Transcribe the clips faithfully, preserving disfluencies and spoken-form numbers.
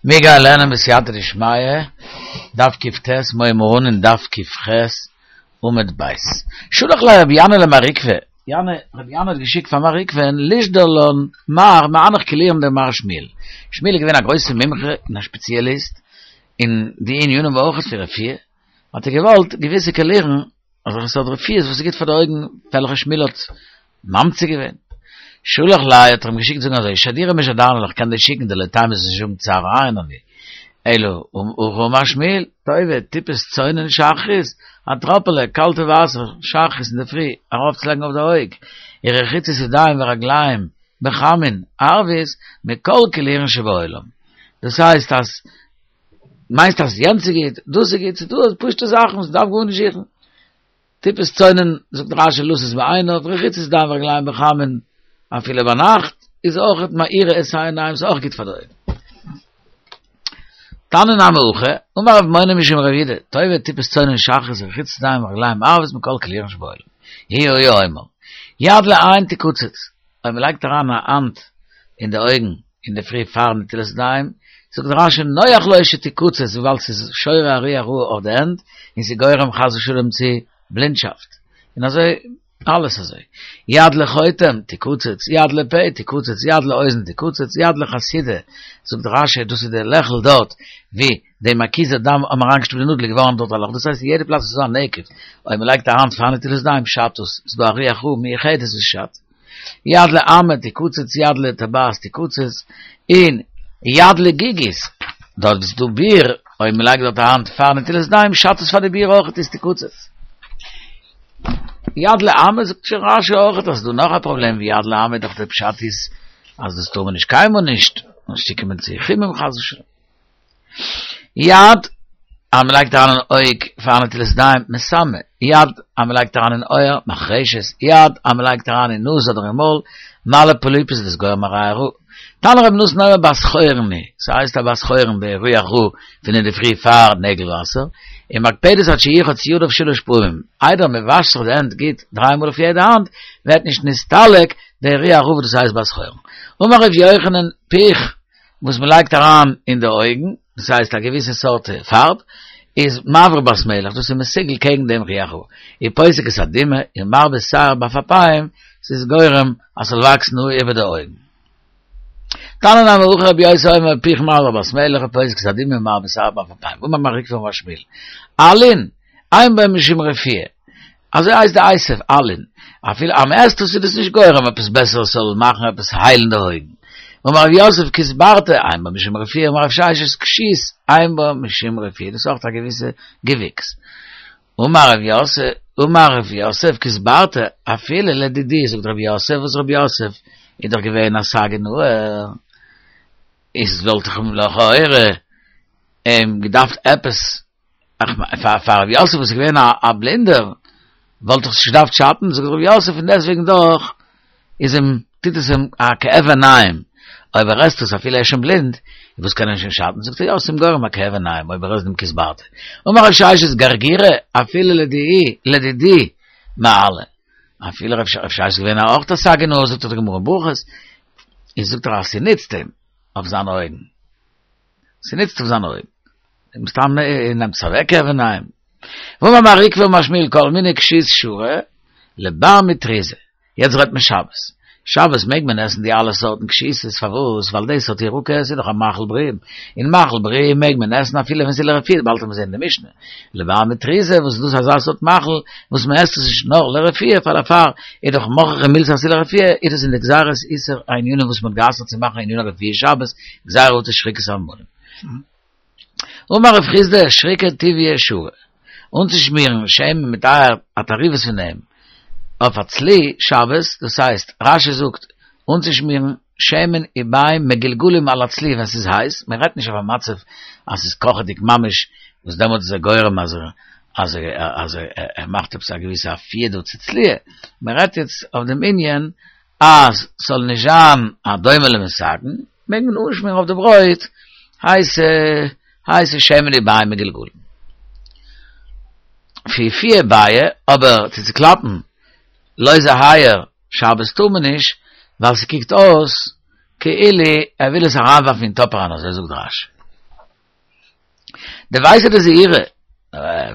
מיר גייען לערנען בסייעתא דשמיא, דף קט, מ'הייבט אן אין דף קח, עמוד ב'. שלח ליה רבי ינאי למר עוקבא, ינאי, רבי ינאי האט געשיקט פאר מר עוקבא'ן לישדר לן מר מהנך קולירין דמר שמואל. שמואל איז געווען א גרויסע מומחה און א ספעציעליסט אין די ענינים אויך פון רפואה, האט ער געוואלט געוויסע קאלירן, אזעלכע סארט רפואות וואס איז גוט פאר די אויגן, וועלכע שמואל האט ממציא געווען. שלח ליה האט ער אים געשיקט זאגן אזוי, שדורי משדרנא לך, כ'קען דיר שיקן דלא תימא זאלסט נישט האבן צער עין אני. אלא הכי אמר שמואל, טובה, טיפת צונן שחרית, א טראפעלע קאלטע וואסער שחרית אינדערפרי ארויפצולייגן אויף די אויג, ורחיצת ידיים ורגליים בחמין ערבית מכל קולירין שבעולם. דאס הייסט אז מיינסט אז יענץ איז גוט, דאס איז גוט, ס'איז דא פשוטע זאכן וואס מ'דארף גארנישט זוכן. טיפת צונן, זאגט רש"י לתת בעיניו, רחיצת ידיים ורגליים בחמין, אפילו ביינאכט, איז אויך מאירה את העיניים, ס'איז אויך גוט פאר די אויגן. תניא נמי הכי, אמר רב מונא משום רב יהודה, טובה טיפת צונן שחרית ורחיצת ידיים ורגליים ערבית מכל קולירין שבעולם. הוא היה אומר, יד לעין תקצץ, אויב מ'לייגט אריין א האנט אין די אויגן אינדערפרי פאר נטילת ידיים, זאגט רש"י נוח לו שתקצץ וויבאלד ס'איז שורה א רוח רעה אויף די הענט און ס'איז גורם חס ושלום צו בלינדשאפט, און אזוי אלעס אזוי, יד לחוטם תקצץ, יד לפה תקצץ, יד לאוזן תקצץ, יד לחסידה, זאגט רש"י דאס איז די לעכל דארט ווי די מקיזי דם האבן אריינגעשטופט די נאדל איז געווארן דארט א לאך, דאס הייסט אין יעדע פלאץ וואס איז דא א נקב, אויב מ'לייגט א האנט פאר נטילת ידיים שאדט עס, ס'איז דא א רוח רעה מיוחדת וואס שאדט. יד לאמה תקצץ יד לטבעת תקצץ, און יד לגיגית, דארט וואו ס'איז דא ביר, אויב מ'לייגט דארט א האנט פאר נטילת ידיים שאדט עס פאר די ביר אויכעט איז תקצץ. יד לאמה זאגט שוין רש"י אויכעט אז ס'איז דא נאך א פראבלעם ווי יד לאמה דאך די פשט איז אז דאס טאר מען נישט קיינמאל נישט, און ס'קומען צו חימום חס ושלום. יד אז מען לייגט אריין אין אויג פאר נטילת ידיים, מסמא, יד אז מען לייגט אריין אין אויער, מחרשת, יד אז מען לייגט אריין אין נאז אדער אין מויל, מעלה פוליפוס איז גורם א ריח רע. תנא רבי נתן אומר בת חורין היא, ס'הייסט א בת חורין די רוח רעה פון אינדערפרי פאר נעגל וואסער, ומקפדת עד שירחוץ ידיו שלש פעמים, איידער מען וואשט זיך די הענט גוט דריי מאל אויף יעדע האנט, ווערט נישט נסתלק די רוח רעה וואס דאס הייסט בת חורין. אמר ר' יוחנן, פיך וואס מען לייגט אריין אין די אויגן, דאס הייסט א געוויסע סארט פארב, איז מעביר בת מלך, דאס איז מסוגל קעגן דעם רוח רעה, ופוסק את הדמעה, ומרבה שער בעפעפיים, ס'איז גורם אז ס'זאל וואקסן האר איבער די אויגן. תניא נמי הכי רבי יוסי אומר פיך מעביר בת מלך ופוסק את הדמעה ומרבה שער בעפעפיים, ואמר מר עוקבא אמר שמואל, עלין, אין בו משום רפואה, אזוי הייסט די עשב, עלין, אפילו אז מ'עסט עס איז דאס נישט גורם עפעס בעסער עס זאל מאכן עפעס היילן די אויגן. אמר רב יוסף כוסברתא, אין בו משום רפואה, אמר רב ששת כשות, אין בו משום רפואה, דאס איז אויך א געוויסע געוויקס. אמר רב יוסף, אמר רב יוסף כוסברתא, אפילו לדידי, זאגט רב יוסף, וואס רב יוסף איז דאך געווען א סגי נהור, איז וואלט איך לכאורה אים געדארפט עפעס פאר פאר רב יוסף וואס איז געווען א בלינדער וואלט דאך נישט געדארפט שאטן, זאגט רב יוסף פון דעסטוועגן דאך איז אים טוט עס אים א כאב עיניים, אויב ער עסט עס אפילו ער איז שוין בלינד, וואס קען אים שוין שאטן, זאגט ער יא ס'איז אים גורם א כאב עיניים אויב ער עסט דעם כוסברתא, אמר רב ששת גרגירא אפילו לדידי לדידי מעלי, אפילו רב ששת איז געווען אויך א סגי נהור זאגט דאך די גמרא אין ברכות, איז זאגט ער אז ס'נוצט אים אויף זיינע אויגן. ס'נוצט אויף זיינע אויגן. מסתם נעמט עס אוועק כאב עיניים. ואמר מר עוקבא אמר שמואל כל מיני כשות שרי לבר מטריזא. יעצט רעדט מען שבת. שבת מעג מען עסן די אלע סארטן כשיתות, פארוואס? ווייל דאס האט ירקות איז דאך א מאכל בריאים. און מאכל בריאים מעג מען עסן אפילו ווען ס'איז לרפואה, באלד וועט מען זען אין די משנה. לבר מטריזא וואס איז דאס אזא סארט מאכל וואס מען עסט עס נישט נאר לרפואה פאר דערפאר איז דאך מוכרחא מילתא אז ס'איז לרפואה איז דאס אין די גזירת איסור הענינים וואס מען האט גע'אסר'ט צו מאכן עניני רפואה שבת גזירה אטו שחיקת המונים. אמר רב חסדא שריקא טוביא שרי אנצושמירן שמן מיט אייער א תערובת פון דעם אויף א צלי שבת דאס הייסט רש"י זאגט אנצושמירן שמן וביעים מגולגלים על הצלי ווען ס'איז הייס, מען רעדט נישט אויף א מצב אז ס'איז קאכעדיג ממש וואס דעמאלטס איז ער גורם אז ער אז ער אז ער מאכט עפעס א געוויסע אפיה דא צו צליה, מען רעדט יעצט אויף דעם ענין אז ס'זאל נישט זיין א דומה למתקן, מעג מען אנשמירן אויף די ברויט הייסע הייסע שמן וביעים מגולגלים. פיפויי בעי, אבער צו צוקלאפן לויזע אייער שבת טאר מען נישט, ווייל ס'קוקט אויס כאילו ער וויל עס אריינווארפן אין טאפ אריין, אזוי זאגט רש"י. דער ווייסער די זעירע,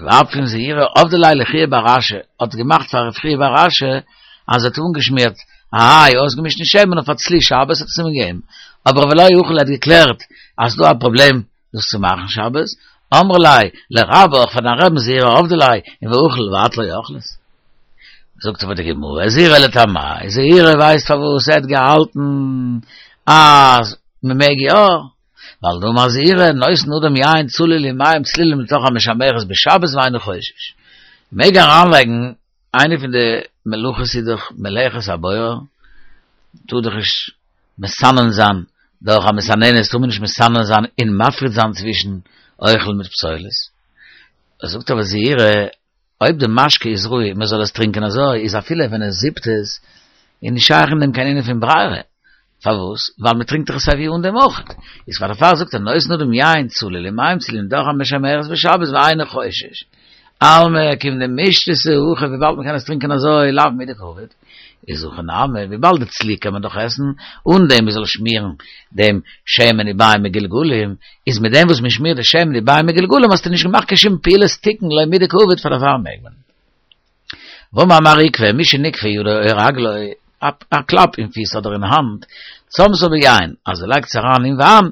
ווארף פון זעירע אויף די לילה חייא בר אשי, האט געמאכט פאר חייא בר אשי, אז ער האט אנגעשמירט, איי, אויסגעמישט אין שמן אויף א צלי שבת האט עס אים געגעבן. אבער ולא אוכל האט געקלערט, אז דא א פראבלעם דאס צו מאכן שבת, אמר ליה, לרבך פאר דיין רבין זעירא עבדי ליה, און ואוכל ואת לא אכלת. זאגט אבער די גמרא, זעירא לטעמיה, זעירא ווייסט פארוואס ער האט געהאלטן אז מען מעג יא, ווייל דאמר זעירא, נותן אדם יין צלול עם מים צלולים לתוך המשמרת בשבת ואינו חושש. מעג אריינלייגן איינע פון די מלאכות איז דאך מלאכת הבורר, טאר דאך נישט מסנן זיין, דורך א מסננת טאר מען נישט מסנן זיין און מפריד זיין צווישן אוכל מיט פסולת. ער זאגט אבער זעירא, אויב די משקה איז ראוי, מען זאל עס טרינקען אזוי, איז אפילו ווען ער זיפט עס, איז נישט שייך אין דעם קיין ענין פון ברירה. פארוואס? ווייל מען טרינקט דאך עס אווי אן דעם אויך. איז פאר דערפאר זאגט ער, נותן אדם יין צלול עם מים צלולים לתוך המשמרת בשבת ואינו חושש. אלמא כיון דמשתתי הכי, וויבאלד מען קען עס טרינקען אזוי, לאו מידי קעביד. איז הכא נמי, וויבאלד די צלי קען מען דאך עסן, אן דעם מען זאל שמירן דעם שמן ומים מגולגלים, איז מיט דעם וואס מען שמירט די שמן ומים מגולגלים, האסטו נישט געמאכט קיין שום פעולת תיקון, לא מידי קעביד, פאר דערפאר מעג מען. ואמר מר עוקבא, מי שנגפה ידו או רגלו, א קלאפ אין פיס אדער אין האנט, צמתה ביין, אז ער לייגט עס אריין אין וויין,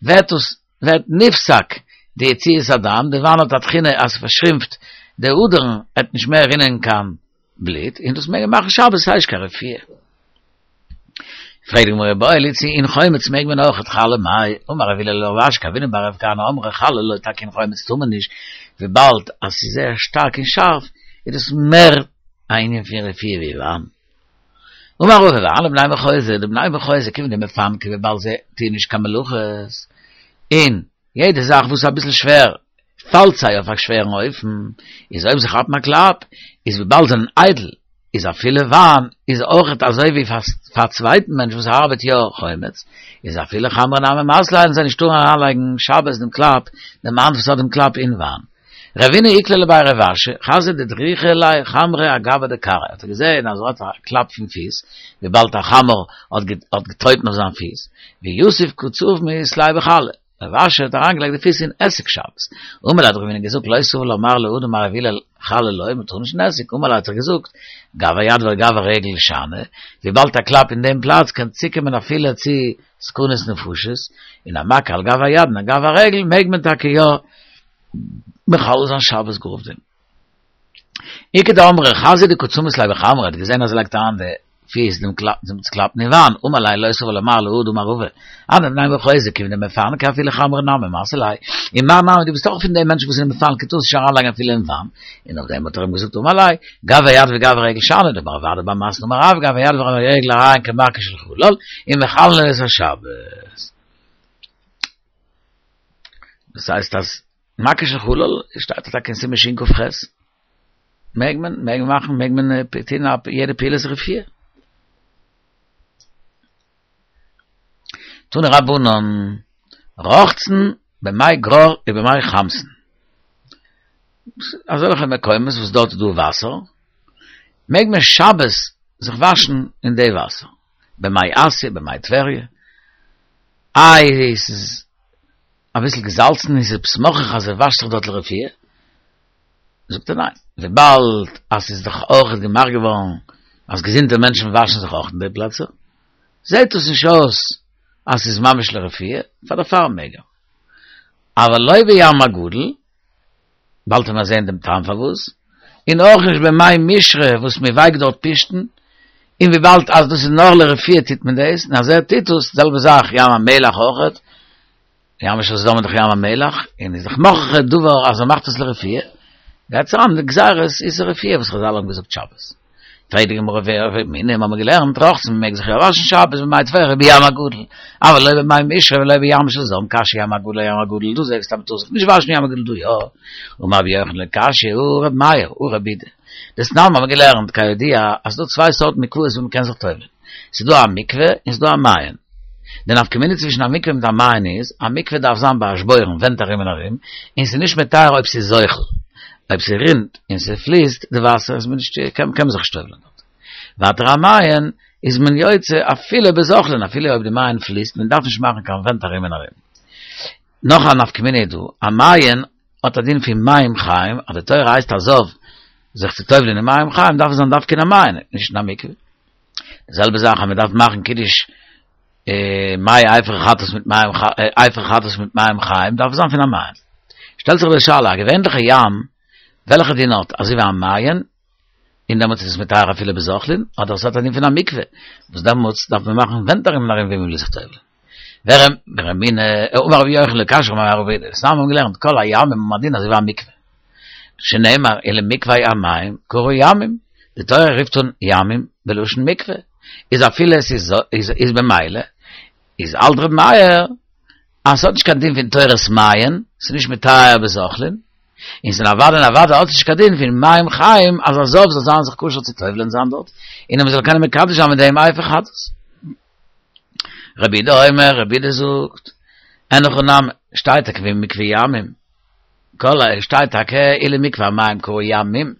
ווערט עס, ווערט נפסק די יציאת הדם, די וויין האט א תכונה אז ס'פארשרימפט די אדערן, עט נישט מער רינען קיין בלוט, און דאס מעג מען מאכן שבת, ס'איז נישט קיין רפואה. פרעגט די גמרא, איבעיא להו צי אין חומץ מעג מען אויך חלה מאי, אמר רב הלל לרב אשי כי הוינן בי רב כהנא אמרי חלה לא, טאקע אין חומץ טאר מען נישט, וויבאלד אז ס'איז זייער שטארק און שארף, איז דאס מער א ענין פון רפואה ווי וויין. אמר רבא והני בני מחוזא, די בני מחוזא כיון דמפנקי וויבאלד זיי טוען נישט קיין מלאכות, און יעדע זאך וואס איז אביסל שווער פאלט זיי אויף א שווערן אופן, איז אויב זיי כאפן א קלאפ, איז וויבאלד זיי זענען איידל, איז אפילו וויין איז אויכעט אזוי ווי פאר א צווייטן מענטש וואס ארבעט יא חומץ, איז אפילו חמרא נמי מסו ליה, זיי נישט טארן אריינלייגן שבת דעם קלאפ, דעם האנט וואס האט דעם קלאפ אין וויין. רבינא איקלע לבי רב אשי, חזייה דדריכא ליה חמרא אגבא דכרעיה, האט ער געזען אז ער האט א קלאפ פון פיס, וויבאלד א חמור האט געטרויטן אויף זיין פיס, ויתיב קא צמית ליה בחלא. רב אשי האט אריינגעלייגט די פיס אין עסיג שבת. אמר ליה האט רבינא געזאגט לא סבר לה מר להא דאמר רב הלל חלה לא, מען טאר נישט אין עסיג, אמר ליה האט ער געזאגט גב היד וגב הרגל שאני, וויבאלד א קלאפ אין דעם פלאץ קען צוקומען אפילו צו סכנת נפשות, און א מכה על גב היד און על גב הרגל מעג מען טאקע יא מחלל זיין שבת גאר אויף דעם. איכא דאמרי חזייה דקא צמית ליה בחמרא האט געזען אז ער לייגט אריין די פיס דעם קלאפ דעם צוקלאפן אין וויין, אמר ליה לא סבר לה מר להא דאמר רבא, הני בני מחוזא כיון דמפנקי אפילו חמרא נמי מסו ליה, און מר נמי דו ביסט אויך פון די מענטשן וואס זענען מפנק טארסט נישט אריינלייגן אפילו אין וויין, און אויף דעם האט ער אים געזאגט אמר ליה, גב היד וגב הרגל שאני, דאמר רב אדא בר מתנה אמר רב גב היד וגב הרגל הרי הן כמכה של חלל, ומחללין את השבת. דאס הייסט אז מכה של חלל שטייט טאקע אין סימן שכ"ח. מעג מען, מעג מען מאכן, מעג מען טון יעדע פעולת רפואה. תנו רבנן, רוחצין במי גרר ובמי חמתן. אזעלכע מקומות וואס דארט איז דא וואסער, מעג מען שבת זיך וואשן אין די וואסער. במי אסיא, במי טבריה. איי, עס איז אביסל געזאלצן, איז עפעס מוכרח אז ער וואשט זיך דארט לרפואה? זאגט ער ניין, וויבאלד אז ס'איז דאך אויך געמאכט געווארן אז געזונטע מענטשן וואשן זיך אויך אין די פלעצער, זעט עס נישט אויס אז ס'איז ממש לרפואה, פאר דערפאר מעג ער. אבל לא בים הגדול, באלד וועט מען זען דעם טעם פארוואס, און אויך נישט במי משרה וואס מען ווייקט דארט פשתן, און וויבאלד אז דאס איז נאר לרפואה טוט מען דאס, און אז ער טוט דאס, די זעלבע זאך ים המלח אויכעט, ים של סדום איז דאך ים המלח, און איז דאך מוכח הדבר אז ער מאכט עס לרפואה, גייט עס אריין אין די גזירות איסור רפואה וואס חזל האבן געזאגט שבת. פרעגט די גמרא ורמינהי האבן מיר געלערנט רוחצין מען מעג זיך יא וואשן שבת במי טבריה ובים הגדול, אבל לא במי משרה ולא בים של זרם קשיא ים הגדול אים הגדול, דו זאגסט אז מען טאר זיך נישט וואשן ים הגדול דא יא, אמר רבי יוחנן לא קשיא הא רבי מאיר הא רבי יהודה, דתנן האבן מיר געלערנט כידוע אז ס'דא צוויי סארטן מקוואות וואו מען קען זיך טובל'ען, ס'איז דא א מקווה און ס'איז דא א מעיין. די נפקא מינה צווישן א מקווה מיט א מעיין איז, א מקווה דארף זיין באשבורן, ווענט ארום און ארום, און ס'איז נישט מטהר אויב ס'איז זוחל. אויב ס'רינט און ס'פליסט די וואסער איז מען נישט, קען מען זיך נישט טובל'ען דארט. ווייטער א מעיין איז מען יוצא אפילו בזוחלין, אפילו אויב די מעיין פליסט, מען דארף נישט מאכן קיין ווענט ארום און ארום. נאך א נפקא מינה דא, א מעיין האט א דין פון מים חיים, אז די תורה הייסט א זב זיך צו טובל'ען אין מים חיים, דארף עס זיין דווקא אין א מעיין, נישט אין א מקווה. די זעלבע זאך אז מען דארף מאכן קידוש מי אפר חטאת מיט מים אפר חטאת מיט מים חיים, דארף עס זיין פון א מעיין. שטעלט זיך די שאלה, א געווענליכע ים, וועלכע דין האט? אזוי ווי א מעיין, און דעמאלטס איז עס מטהר אפילו בזוחלין, אדער עס האט א דין פון א מקווה, וואס דעמאלטס דארף מען מאכן ווענט ארום און ארום ווי מען וויל זיך טובל'ען. ורמינהי, אמר רבי יוחנן לא קשיא לך מרב יהודה, סתם האבן געלערנט כל הימים האבן א דין אזוי ווי א מקווה. שנאמר ולמקווה המים קרוי ימים, די תורה רופט אן ימים בלשון מקווה, איז אפילו עס איז איז במילא, איז האלט ר' מאיר אז ס'האט נישט קיין דין פון תורת מעיין, ס'איז נישט מטהר בזוחלין, און ס'איז אוודאי און אוודאי האט עס נישט קיין דין פון מים חיים אז א זב זאל זיין זיך כשר צו טובל'ען זיין דארט, און אז מ'זאל קענען מקדש זיין מיט דעם אפר חטאת. רבי יהודה אומר, רבי יהודה זאגט, אין הכי נמי, שטייט טאקע ולמקווה ימים, כל ה, שטייט טאקע ולמקווה המים קרוי ימים,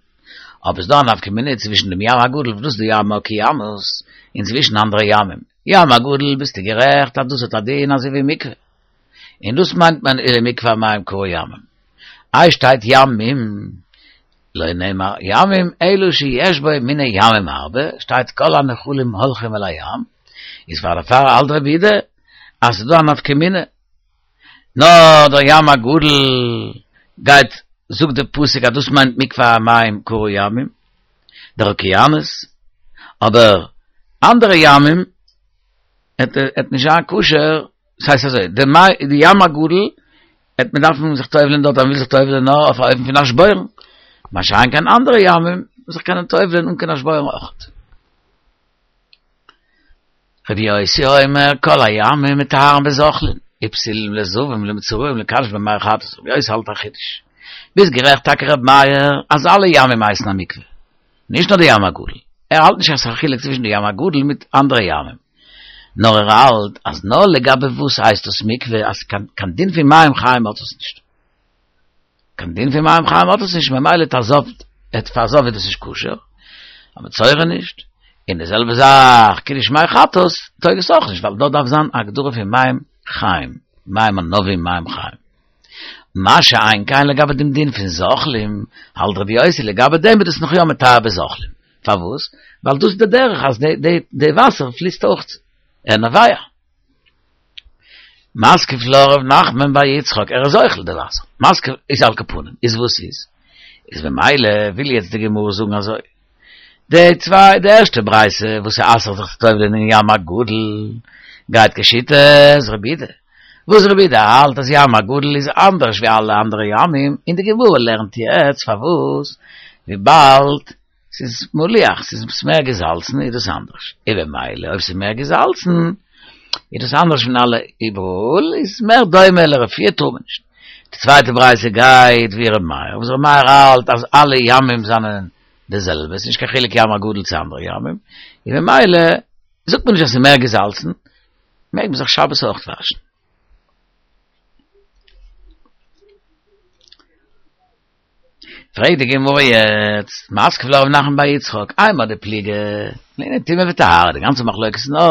אבער ס'דא א נפקא מינה צווישן דעם ים הגדול וואס דאס איז די ים האוקיינוס, און צווישן אנדערע ימים. ים הגדול ביסטו גערעכט אז דאס האט א דין אזוי ווי מקווה, און דאס מיינט מען ולמקווה המים קרוי ימים. איי שטייט ימים, לא נאמר ימים אלא שיש בו מיני ימים הרבה, שטייט כל הנחלים הולכים אל הים, איז פאר דערפאר האלט רבי יהודה אז ס'איז דא א נפקא מינה, נאר דער ים הגדול גייט זאגט די פסוק אז דאס מיינט מקווה המים קרוי ימים, דער אוקיינוס, אבער אנדערע ימים עט נישט זיין כשר, ס'הייסט אזוי, די ים הגדול עט מען דארפן זיך טובל'ען דארט אז מ'וויל זיך טובל'ען נאר אויף א אופן פון אשבורן, מה שאין כן אנדערע ימים זיך קענען טובל'ען אן קיין אשבורן אויכעט. רבי יוסי אומר כל הימים מטהרין בזוחלין, ופסולין לזבים למצורעים לקדש בהם מי חטאת, רבי יוסי האלט א חידוש. ביסט גערעכט טאקע רבי מאיר אז אלע ימים הייסן א מקווה, נישט נאר די ים הגדול, ער האלט נישט אז ס'איז א חילוק צווישן די ים הגדול מיט אנדערע ימים, נאר ער האלט אז נאר לגבי וואס הייסט דאס מקווה אז קיין דין פון מים חיים האט עס נישט. קיין דין פון מים חיים האט עס נישט ממילא א זב פאר א זב איז דאס נישט כשר, א מצורע נישט, און די זעלבע זאך קידוש מי חטאת טויג עס אויך נישט ווייל דארט דארף זיין א הגדרה פון מים חיים, מים ענבים מים חיים. מה שאין כן לגבי דעם דין פון זוחלים, האלט רבי יוסי לגבי דעם איז דאס נאך יא מטהר בזוחלים. פארוואס? ווייל דאס איז די דרך אז די וואסער פליסט אויך ער נובע. מתקיף לה רב נחמן בר יצחק, ער איז זוחל די וואסער. מתקיף איז על כל פנים, איז וואס איז? איז ממילא וויל יעצט די גמרא זאגן אזוי, די צוויי, די ערשטע ברייתא וואס ס'אסר'ט זיך צו טובל'ען אין ים הגדול, גייט כשיטת רבי יהודה, וואס רבי יהודה האלט אז ים הגדול איז אנדערש ווי אלע אנדערע ימים, און די גמרא לערנט יעצט פארוואס, וויבאלד ס'איז מליח, ס'איז מער געזאלצן איז דאס אנדערש, און במילא אויב ס'איז מער געזאלצן איז דאס אנדערש פון אלע איבעראל, איז מער דומה לרפואה טאר מען נישט. די צווייטע ברייתא גייט ווי ר' מאיר, וואס ר' מאיר האלט אז אלע ימים זענען די זעלבע, ס'איז נישט קיין חילוק ים הגדול צו אנדערע ימים, און במילא זאגט מען נישט אז ס'איז מער געזאלצן, מעג מען זיך שבת אויך וואשן. פרעגט די גמרא יעצט, מתקיף לה רב נחמן בר יצחק, אימר דפליגי, לענין טומאה וטהרה, די גאנצע מחלוקת איז נאר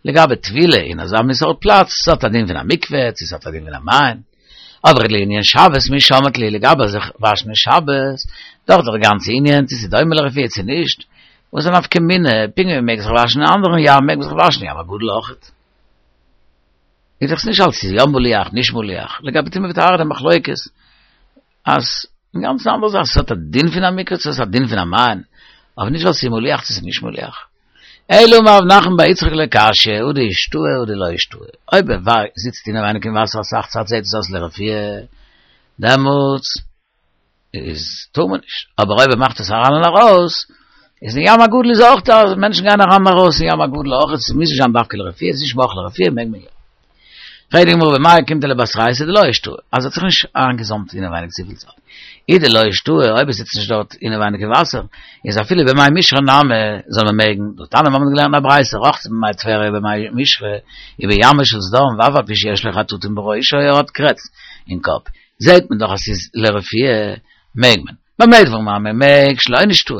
לגבי טבילה אין אזא מין סארט פלאץ, ס'האט א דין פון א מקווה, צו ס'האט א דין פון א מעיין, אבער לענין שבת מי שמעת להו, לגבי זיך וואשן אין שבת, דאך דער גאנצע ענין צו ס'איז דומה לרפואה צו נישט, וואס איז א נפקא מינה, פונקט ווי מ'מעג זיך וואשן אין אנדערן ים מעג מען זיך וואשן אין ים הגדול אויכעט. איז דאך נישט אלץ איז יא מליח נישט מליח, לגבי טומאה וטהרה די מחלוקת אז אינגאנצן אנדערע זאך, ס'האט א דין פון א מקווה צו ס'האט א דין פון א מעיין, אבער נישט ווייל ס'איז מליח צו ס'איז נישט מליח. אלא אמר רב נחמן בר יצחק לא קשיא, הא דאישתהי הא דלא אישתהי. אויב ער זיצט אינעווייניג אין וואסער אסאך צייט זעט עס אויס לרפואה, דעמאלטס איז טאר מען נישט, אבער אויב ער מאכט עס אריין און ארויס, איז אין ים הגדול איז אויך דא, מענטשן גייען אריין און ארויס אין ים הגדול אויך, עס מוז נישט זיין דווקא לרפואה, עס איז נישט מוכרח לרפואה, מעג מען יא. פרעגט די גמרא במאי אוקימתא לבתרייתא דלא אישתהי, אז ער האט זיך נישט איינגעזאמט אינעווייניג צופיל צייט. אי דלא אישתהי, אויב ער זיצט נישט דארט אינעווייניג אין וואסער, איז אפילו במי משרה נמי זאל מען מעגן, דתניא מיר האבן געלערנט א ברייתא רחצה במי טבריה ובמי משרה, ובימה של סדום ואף על פי שיש לו חטטים בראשו ער האט קרעץ אין קאפ, זעהט מען דאך אז ס'איז לרפואה מעג מען. במה דברים אמורים מעג שלא נשתהא,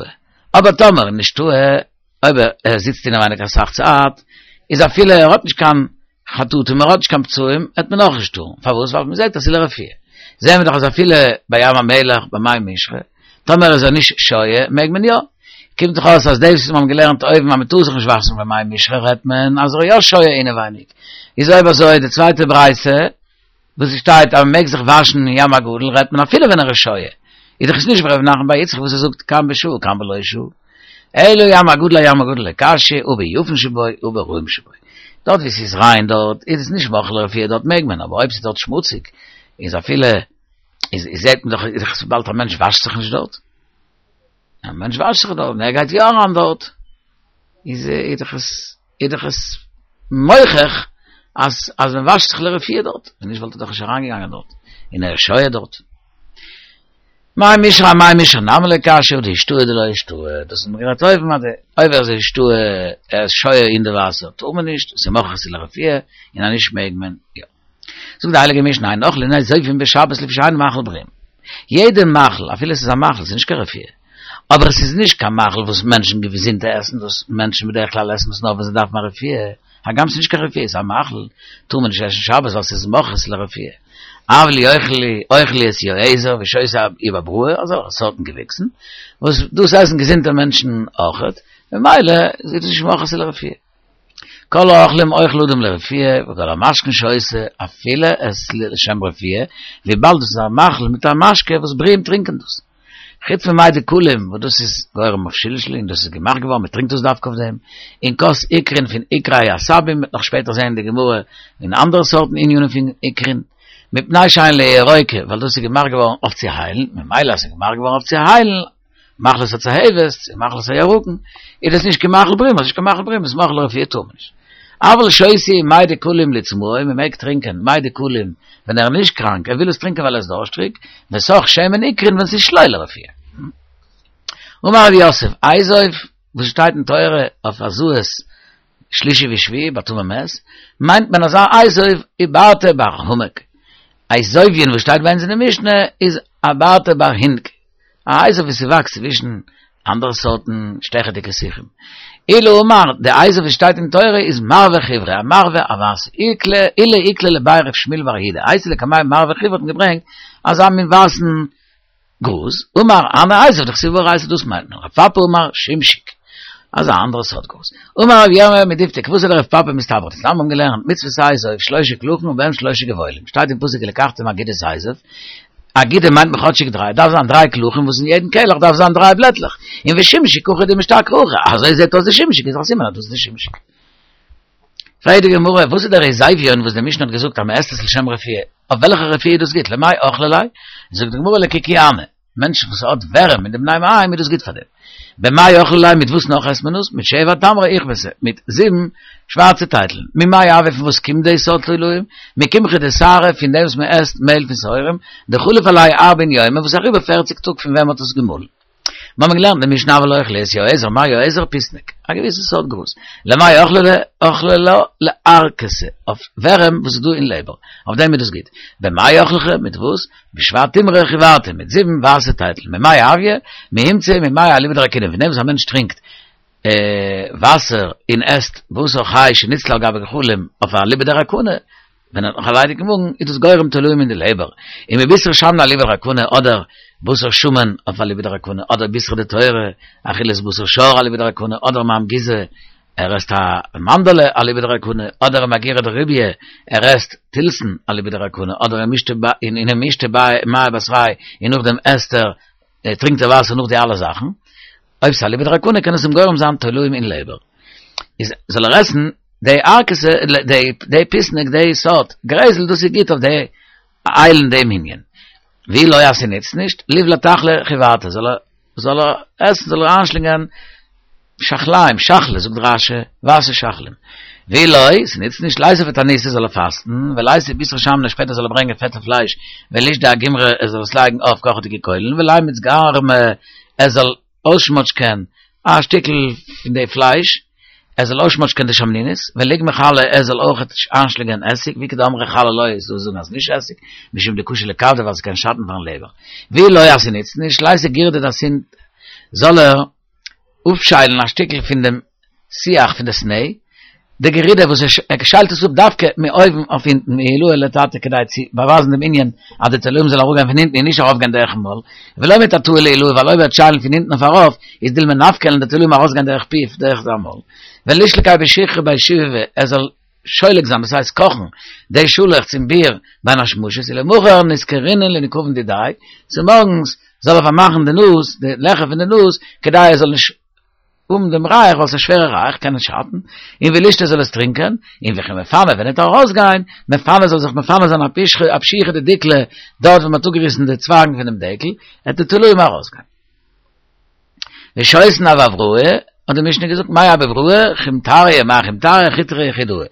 אבער טאמער נשתהא, אויב ער זיצט אינעווייניג אסאך צייט, איז אפילו ער האט נישט קיין חטוטים, ער האט נישט קיין פצעים, וועט מען אויך נישט טארן. פארוואס? ווייל מען זעט אז ס'איז לרפואה. זעהן מיר דאך אז אפילו ביי ים המלח, ביי מי משרה, טאמער איז ער נישט שוה, מעג מען יא. קומט דאך אויס אז דאס וואס מיר האבן געלערנט אויבן אז מען טאר זיך נישט וואשן ביי מי משרה רעדט מען אז ער איז יא שוה אינעווייניג. איז אויב אזוי די צווייטע ברייתא וואס עס שטייט אז מען מעג זיך וואשן אין ים הגדול רעדט מען אפילו ווען ער איז שוה. איז דאך עס נישט ווי ר' נחמן בר יצחק וואס ער זאגט כאן בשעה כאן בלא שעה. אלא ים הגדול אים הגדול לא קשיא הא ביפין שבו הא ברעים שבו. דארט ווי ס'איז ריין דארט איז עס נישט מוכרח לרפואה דארט מעג מען אבער אויב ס'איז דארט שמוציג איז אפילו איז זעט מען דאך איז דאך וויבאלד א מענטש וואשט זיך נישט דארט. א מענטש וואשט זיך דארט און ער גייט יא אריין דארט איז איז דאך עס איז דאך עס מוכח אז אז מען וואשט זיך לרפואה דארט, ווען נישט וואלט ער דאך נישט אריינגעגאנגען דארט, און ער איז שוה דארט. מי משרה אמי משרה נמי לא קשיא הא דאישתהי דלא אישתהי, דאס האט מען גערעדט אויבן אז אויב ער איז אישתהי ער איז שוה אין די וואסער טאר מען נישט, ס'איז מוכרח ס'איז לרפואה, און אז נישט מעג מען יא. זאגט די הייליגע משנה אין אוכלין אזובים בשבת לפי שאינו מאכל בריאים. יעדע מאכל, אפילו עס איז א מאכל, עס איז נישט קיין רפואה, אבער עס איז נישט קיין מאכל וואס מענטשן געזונטע עסן דאס, מענטשן בדרך כלל עסן דאס נאר ווען זיי דארפן א רפואה, הגם ס'איז נישט קיין רפואה, ס'איז א מאכל, טאר מען נישט עסן שבת ווייל ס'איז מוכרח לרפואה. אבל אוכלי את יועזר ושותה איבעברא, אזעלכע סארטן געוויקסן, וואס דאס עסן געזונטע מענטשן אויכעט, ממילא איז עס נישט מוכרח לרפואה. כל האוכלים אוכל אדם לרפואה, וכל המשקין שותה, אפילו עס לשם רפואה, וויבאלד דאס איז א מאכל מיט א משקה וואס בריאים טרינקען דאס. חוץ ממי דקלים, וואס דאס איז גורם אויף שלשול און דאס איז געמאכט געווארן, מען טרינקט דאס דווקא אויף דעם, און כוס עיקרין פון עיקרי עשבים, מ'וועט נאך שפעטער זען אין די גמרא אין אנדערע סארטן ענינים פון עיקרין, מפני שהן לירוקה, ווייל דאס איז געמאכט געווארן אויף צו היילן, ממילא אז ס'איז געמאכט געווארן אויף צו היילן, מחלת הצהבת, צו מחלת הירקון, איז דאס נישט קיין מאכל בריאים, אז נישט קיין מאכל בריאים איז מאכל לרפואה טאר מען נישט. אבל שותה מי דקלים לצמאו, מען מעג טרינקען מי דקלים ווען ער איז נישט קראנק, ער וויל עס טרינקען ווייל ער איז דארשטריג, וסך שמן עיקרין ווען ס'איז שלא לרפואה. אמר רב יוסף, אזוב, וואס שטייט אין תורה אויף הזאת שלישי ושביעי ביי טמא מת, מיינט מען אזא אזוב עיברתא בר המק. אזוביון וואס שטייט ביי אונז אין די משנה איז עברתא בר הינק. א אזוב וואס ס'וואקסט צווישן אנדערע סארטן שטעכעדיגע שיחים. עולא אמר, די אזוב וואס שטייט אין תורה איז מרווה חיורא, א מרווה א ווייסע. עולא איקלע לבי רב שמואל בר יהודה, אייתי לקמיה מרווה חיורא האט מען געברענגט אזא מין ווייסן גראז, אמר הני אזוב דכתיב באורייתא דאס מיינט מען, רב פפא אמר שמשיק, אזא אנדערע סארט גראז. אמר רב ירמיה מדפתי כוותיה דרב פפא מסתברא דתנן מיר האבן געלערנט מצות אזוב שלשה קלחין ובהם שלשה גבעולים שטייט אין פסוק ולקחתם אגודת אזוב אגודה מיינט מען כאטשיג דריי, דארף זיין דריי קלחים וואס אין יעדן קלח דארף זיין דריי בלעטלעך, און ושמשיק הכי דמשתכח הכי, אזוי זעט אויס די שמשיק איז א סימן אז דאס איז די שמשיק. פרעגט די גמרא, וואס איז דער אזוביון וואס די משנה האט געזאגט אז מען עסט עס לשם רפואה, אויף וועלכע רפואה איז דאס גוט, למאי אכלי ליה? זאגט די גמרא לקוקיאני, מענטשן וואס האט ווערעם אין די בני מעיים איז דאס גוט פאר דעם. במאי אכלי ליה מיט וואס נאך עסט מען עס? מיט שבע תמרי איכבתא, מיט זיבן שווארצע טייטלען. ממאי הוה פון וואס קומט די סארט תולעים? מקמחא דשערי פון דעם וואס מען עסט מעהל פון שעורים, דחליף עלייהו ארבעין יומא וואס איז אריבער פערציג טאג פון ווען מען האט עס געמאלן. מיר האבן געלערנט אין משנה אבל אוכלי את יועזר, מאי יועזר? פיסניק, א געוויסע סארט גראז. למאי אכלי ליה? אכלי לה לערקתא, אויף ווערעם וואס איז דא אין לעבער, אויף דעם איז דאס גוט. במאי אכלי ליה? מיט וואס? בשבע תמרי חיורתא, מיט זיבן ווייסע טייטלען. ממאי הויא? מהומצא ממיא אליבא דרכינא, פון דעם וואס א מענטש טרינקט וואסער און עסט בשר חי שניצלה על גבי גחלים אויף אליבא דרקונא, ווען ער האט נאך א ליידיגן מאגן איז דאס גורם תולעים אין די לעבער, און מבישרא שמנא אליבא דרכונא אדער בשר שמן אויף אליבא דרכונא אדער בישרא דתורא אכילת בשר שור אליבא דרכונא אדער מאמגיזא ער עסט א מאנדעלע אליבא דרכונא אדער מאגירא דריביא ער עסט תילסן אליבא דרכונא אדער ומשתי מיא בתרייהו און נאכדעם עסט ער טרינקט ער וואסער נאך די אלע זאכן, אויב ס'איז אליבא דרכונא קען עס אים גורם זיין תולעים אין לעבער. איז זאל ער עסן די ערקתא, די פיסניק, די סארט גרעזל, דאס איז גוט אויף די היילן דעם ענין. ואי לא אז ס'נוצט נישט, ליבלע תחלא חיורתא, זאל ער זאל ער עסן, זאל ער איינשלינגען שחליים, שחלה, זאגט רש"י, ווייסע שחלים. ואי לא, ס'נוצט נישט, ליתיב תעניתא זאל ער פאסטן, וליתי בישרא שמנא שפעטער זאל ער ברענגען פעטע פלייש, ולישדי אגומרי ער זאל עס לייגן אויף קאכעדיגע קוילן, ולימיץ גרמא ער זאל אויסשמאטשקען א שטיקל פון די פלייש, ער זאל אויסשמאטשקען די שמנונית, וליגמר חלא ער זאל אויך איינשלינגען עסיג, ואיכא דאמרי חלא לא איז דא וואס זאגן אז נישט עסיג, משום דקשי לכבדא ווייל ס'קען שאטן פארן לעבער. ואי לא אז ס'נוצט נישט, ליתי גירדא דאסין זאל ער אפשיילן א שטיקל פון דעם שיח פון די סנה, די גערידע וואס ער שיילט עס אפ דווקא מאויבן אויף הינטן, מעילאה לתתא כדי צו באווייזן דעם ענין אז די תולעים זאל אראפגיין פון הינטן און נישט ארויפגיין דורכן מויל, ולא מתתאה לעילאה ווייל אויב ער וועט שיילן פון הינטן אויף ארויף איז דילמא נפקי וועלן די תולעים ארויסגיין דורך פיו דורך זיין מויל. ולישלקיה בשיחא בי שיבבי ער זאל שולק זיין דאס הייסט קאכן די שאלעכץ אין ביר בין השמשות ולמחר ניסכרינהו לנקבין דידיה צומארגנס זאל ער פארמאכן די נאז די לעכער פון די נאז כדי ער זאל נישט האבן דעם ריח ווייל ס'איז א שווערע ריח קען עס שאטן, און ולישתי זאל עס טרינקען, און וכי מפנה ווען ער וועט ארויסגיין, מפנה זאל זיך מפנה זיין אפשיחא דדיקלא דארט וואו מ'האט אפגעריסן די צווייגן פונעם דקל, וועט די תולעים ארויסגיין. ושותין אבבראי, האט די משנה געזאגט, מאי אבבראי, חומטריא, מאי חומטריא, חוטרא יחידאה,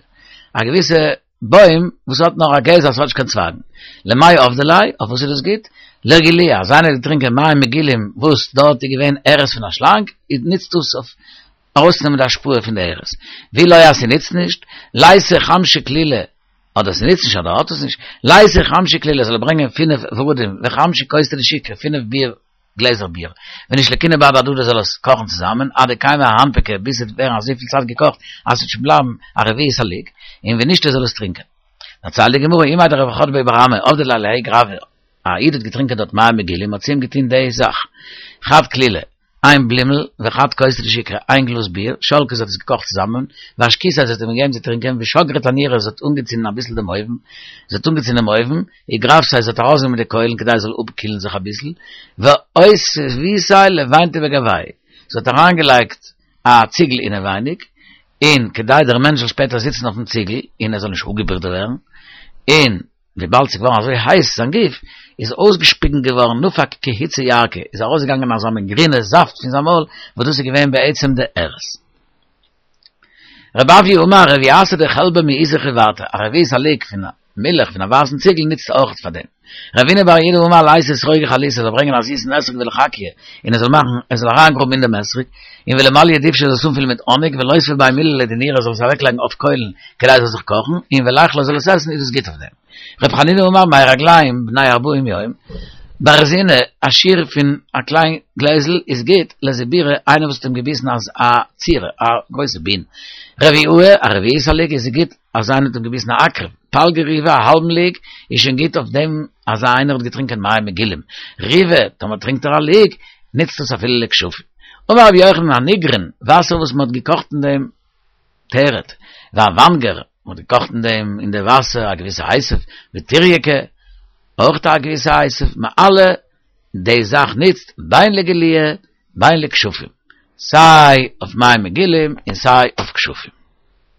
א געוויסע בוים וואס האט נאר א גזע, ס'האט נישט קיין צווייגן. למאי עבדי ליה, אויף וואס איז דאס גוט? לרגילוה, אז איינער האט געטרינקען מים מגולים וואס דארט איז געווען ארס פון א שלאנג, איז נוצט דאס אויף ארויסצונעמען די השפעה פון די ארס. ואי לא אז ס'נוצט נישט, לייתי חמשא כלילי, אדער ס'נוצט נישט אדער האט עס נישט, לייתי חמשא כלילי זאל ער ברענגען פינף ורדים וחמשא כוסתי דשכרא, פינף ביר גלעזער ביר, ונישלקינהו בהדי הדדי זאל עס קאכן צוזאמען, עד דקיימא אהנפקא ביז ס'וועט ווערן אזויפיל צייט געקאכט אז ס'וועט שוין בלייבן א רביעית הלוג, און ונישתי זאל עס טרינקען. דערציילט די גמרא, אימיה דרב חדביה בר אמי, עבדי ליה לההוא גרבא, א איד האט געטרינקען דארט מים מגולים, האט צו אים געטון די זאך, חד כלילא, איין בלימל, וחד כוסתא דשכרא, איין גלאז ביר, שלקיה זי האט עס געקאכט צוזאמען, ואשקיתיה זי האט אים געגעבן צו טרינקען, ושגרה תנורא זי האט אנגעצינדן אביסל דעם אויוון, זי האט אנגעצינדן דעם אויוון, וגרפתיה זי האט ארויסגענומען די קוילן כדי עס זאל אפקילן זיך אביסל, ואותבתיה לבינתא בגויה, זי האט אריינגעלייגט א ציגל אינעווייניג, און כדי דער מענטש זאל שפעטער זיצן אויפן ציגל און ער זאל נישט אפגעבריט ווערן, און וויבאלד ס'איז געווארן אזוי הייס זיין גוף, איז אויסגעשפיגן געווארן נפק כי היצי ירקא, איז ארויסגעגאנגען אזא מין גרינע זאפט פון זיין מויל, וואס דאס איז געווען בעצם די ארס. רב אויא אמר רביעתא דחלבא מעיזא חיורתא, א רביעית הלוג פון מילך פון א ווייסן ציגל נוצט אויך פאר דעם. רבינא בר יהודה אמר לייתי אתרוגא חליתא זאל ברענגען א זיסן אתרוג ולחכיה און ער זאל מאכן ער זאל אריינגראבן אין דעם אתרוג, און ולמלייה דובשא זאל עס אנפילן מיט האניג ולותביה בי מיללא דנורא זאל עס אוועקלייגן אויף קוילן כדי עס זאל זיך קאכן, און וליכלה זאל עס עסן איז דאס גוט אויף דעם. ר' חנינא אמר מי רגלים בני ארבעים יום, ברזינא, א שיעור פון א קליין גלעזל איז גוט לזיבורא איינער וואס האט אים געביסן אז א צירא, א גרויסע בין. רביעאה, א רביעית הלוג איז גוט אז איינער האט אים געביסן א עקרב, פלגא ריבא, א האלבן לוג, איז שוין גוט אויף דעם אז איינער האט געטרינקען מים מגולים. ריבא, טאמער טרינקט ער א לוג, נוצט עס אפילו לכשפים. אמר רבי יוחנן הניגרון, וואסער וואס מען האט געקאכט אין דעם תרד, והוונגר, מען האט געקאכט אין דעם אין די וואסער א געוויסע היסב, וטורייקי, אויך א געוויסע היסב, מעלה, די זאך נוצט בין לגילויא בין לכשפים, סיי אויף מים מגולים און סיי אויף כשפים.